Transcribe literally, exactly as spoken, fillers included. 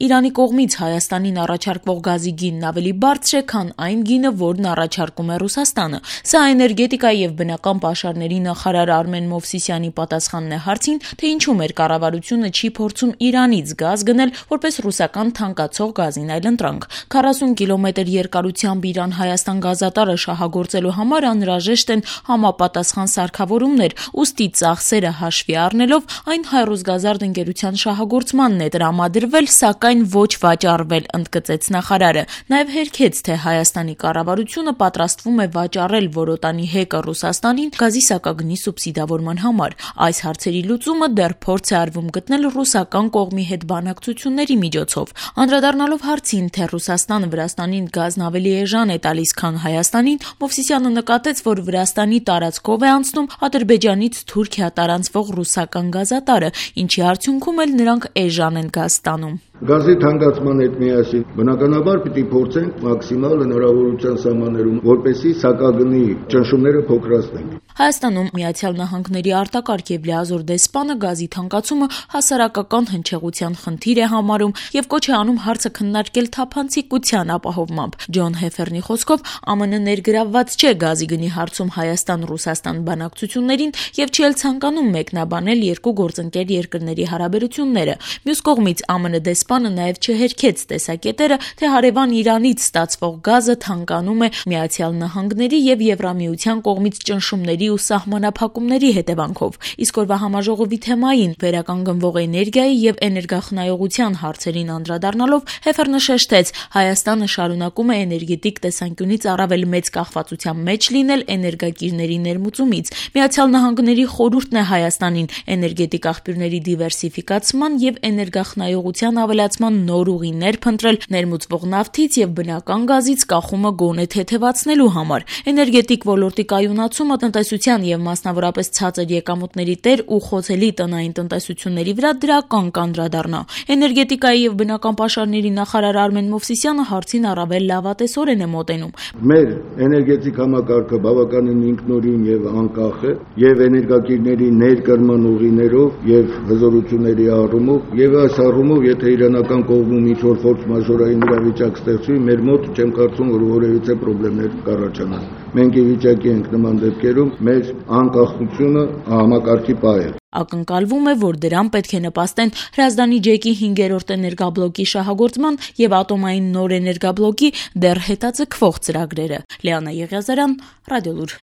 Իրանի կողմից Հայաստանին առաջարկվող գազի գինն ավելի բարձր է, քան այն գինը, որն առաջարկում է Ռուսաստանը։ Սա էներգետիկայի եւ բնական պաշարների նախարար Արմեն Մովսիսյանի պատասխանն է հարցին, թե ինչու մեր կառավարությունը չի փորձում Իրանից գազ գնել որպես ռուսական թանկացող գազին այլընտրանք։ քառասուն կիլոմետր երկարությամբ Իրան-Հայաստան գազատարը շահագործելու համար անհրաժեշտ են համապատասխան սարքավորումներ, ուստի ծախսերը հաշվի առնելով այն Հայրուսգազարդ ընկերության շահագործմանն է տրամադրվել, սակայն ոչ վաճառվել, ընդգծեց նախարարը։ Նաև հերքեց, թե Հայաստանի կառավարությունը պատրաստվում է վաճառել որոտանի հեկը Ռուսաստանին գազի սակագնի սուբսիդավորման համար։ Այս հարցերի լուծումը դեռ փորձ է արվում գտնել ռուսական կողմի հետ բանակցությունների միջոցով։ Անդրադառնալով հարցին, թե Ռուսաստանը Վրաստանին գազն ավելի էժան է տալիս, քան Հայաստանին, Մովսիսյանը նկատեց, որ Վրաստանի տարածքով է անցնում Ադրբեջանից Թուրքիա տարանցվող ռուսական գազատարը, ինչի արդյունքում էլ նրանք էժան են գազ ստանում։ Գազի թանկացման հետ միասին բնականաբար պիտի փորձենք մաքսիմալ հնարավորության սահմաններում, որպեսզի սակագնի ճնշումները փոքրացնենք։ Հայաստանում Միացյալ Նահանգների արտակարգ եւ լիազոր դեսպանը գազի թանկացումը հասարակական հնչեղության խնդիր է համարում եւ կոչ է անում հարցը քննարկել թափանցիկության ապահովմամբ։ Ջոն Հեֆերնի խոսքով Ամն ներգրավված չէ գազի գնի հարցում Հայաստան-Ռուսաստան բանակցություններին եւ չի էլ ցանկանում մեկնաբանել երկու գործընկեր երկրների հարաբերությունները։ Մյուս կողմից Ամն դեսպանը նաեւ չհերքեց տեսակետերը, թե հարևան Իրանից ստացվող գազը թանկանում է Միացյալ Նահանգների եւ Եվրամիության կողմից ճնշումների ու սահմանափակումների հետևանքով։ Իսկ օրվա համաժողովի թեմային վերականգնվող էներգիայի եւ էներգախնայողության հարցերին անդրադառնալով Հեֆերնը շեշտեց, Հայաստանը շարունակում է էներգետիկ տեսանկյունից առավել մեծ կախվածության մեջ լինել էներգակիրների ներմուծումից։ Միացյալ Նահանգների խորհուրդն է Հայաստանին էներգետիկ աղբյուրների դիվերսիֆիկացման եւ էներգախնայողության ավելացման նոր ուղիներ փնտրել ներմուծվող նավթից եւ բնական գազից կախումը գոնե թեթևացնելու համար։ Էներգետիկ ոլորտի կայունացումը տնտեսության եւ մասնավորապես ցածր եկամուտների տեր ու խոցելի տնային տնտեսությունների վրա դրական կանդրադառնա։ Էներգետիկայի եւ բնական պաշարների նախարար Արմեն Մովսիսյանը հարցին առավել լավատեսորեն է մոտենում։ Մեր էներգետիկ համակարգը բավականին ինքնուրույն եւ անկախ է եւ էներգակիրների ներկրման ուղիներով եւ հզորությունների առումով եւ այս առումով եթե իրանական կողմում ինչ-որ ֆորս մաժորային իրավիճակ ստեղծվի, մեր մոտ չեմ կարծում, որ որևիցե խնդիրներ կառաջանան։ Մենք ի վիճակի ենք նման դեպքերում մեր անկախությունը համակարգի պահել։ Ակնկալվում է, որ դրան պետք է նպաստեն Հրազդանի ջեկի հինգերորդ էներգաբլոկի շահագործման եւ ատոմային նոր էներգաբլոկի դեռ հետաձգվող ծրագրերը։ Լիանա Եղիազարյան, Ռադիոլուր։